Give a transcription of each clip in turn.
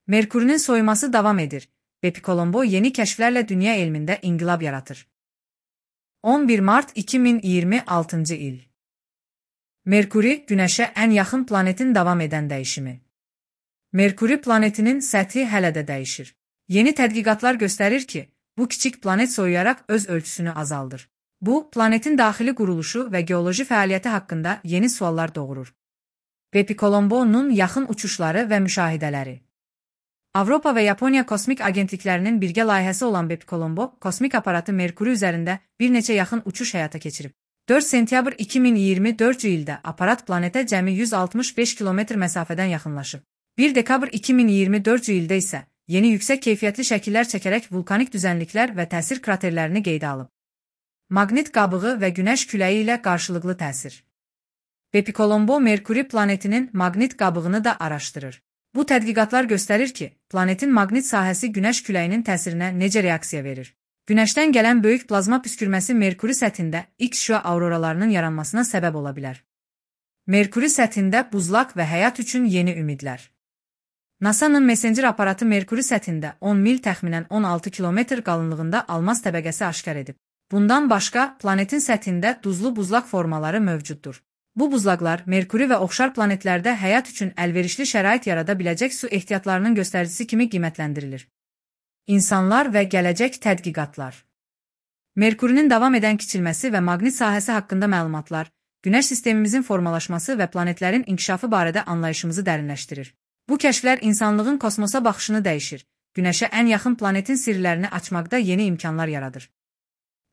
Merkurinin soyuması davam edir. Bepicolombo yeni keşflerle dünya elminde inkılap yaratır. 11 Mart 2026 il. Merkuri, Güneşe en yaxın planetin davam edən dəyişimi. Merkuri planetinin səthi hələ də dəyişir. Yeni tədqiqatlar göstərir ki, bu kiçik planet soyuyaraq öz ölçüsünü azaldır. Bu, planetin daxili quruluşu və geoloji fəaliyyəti haqqında yeni suallar doğurur. Bepicolombo'nun yaxın uçuşları və müşahidələri. Avropa və Yaponiya kosmik agentliklərinin birgə layihəsi olan Bepicolombo, kosmik aparatı Merkuri üzərində bir neçə yaxın uçuş həyata keçirib. 4 sentyabr 2024 ildə aparat planetə cəmi 165 kilometr məsafədən yaxınlaşıb. 1 dekabr 2024 ildə isə yeni yüksək keyfiyyətli şəkillər çəkərək vulkanik düzənliklər və təsir kraterlərini qeydə alıb. Maqnit qabığı və günəş küləyi ilə qarşılıqlı təsir. Bepicolombo Merkuri planetinin maqnit qabığını da araşdırır. Bu tədqiqatlar göstərir ki, planetin maqnit sahəsi günəş küləyinin təsirinə necə reaksiya verir. Günəşdən gələn böyük plazma püskürməsi Merkuri səthində X-şüa auroralarının yaranmasına səbəb ola bilər. Merkuri səthində buzlaq və həyat üçün yeni ümidlər. NASA-nın Messenger aparatı Merkuri səthində 10 mil təxminən 16 kilometr qalınlığında almaz təbəqəsi aşkar edib. Bundan başqa, planetin səthində duzlu buzlaq formaları mövcuddur. Bu buzlaqlar Merkuri və oxşar planetlərdə həyat üçün əlverişli şərait yarada biləcək su ehtiyatlarının göstəricisi kimi qiymətləndirilir. İnsanlar və gələcək tədqiqatlar. Merkurinin davam edən kiçilməsi və maqnit sahəsi haqqında məlumatlar, Günəş sistemimizin formalaşması və planetlərin inkişafı barədə anlayışımızı dərinləşdirir. Bu kəşflər insanlığın kosmosa baxışını dəyişir, Günəşə ən yaxın planetin sirlərini açmaqda yeni imkanlar yaradır.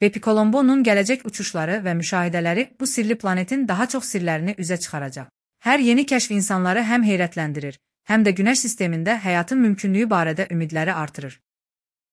Bepicolombo'nun gələcək uçuşları və müşahidələri bu sirli planetin daha çox sirlərini üzə çıxaracaq. Hər yeni kəşf insanları həm heyrətləndirir, həm də Günəş sistemində həyatın mümkünlüyü barədə ümidləri artırır.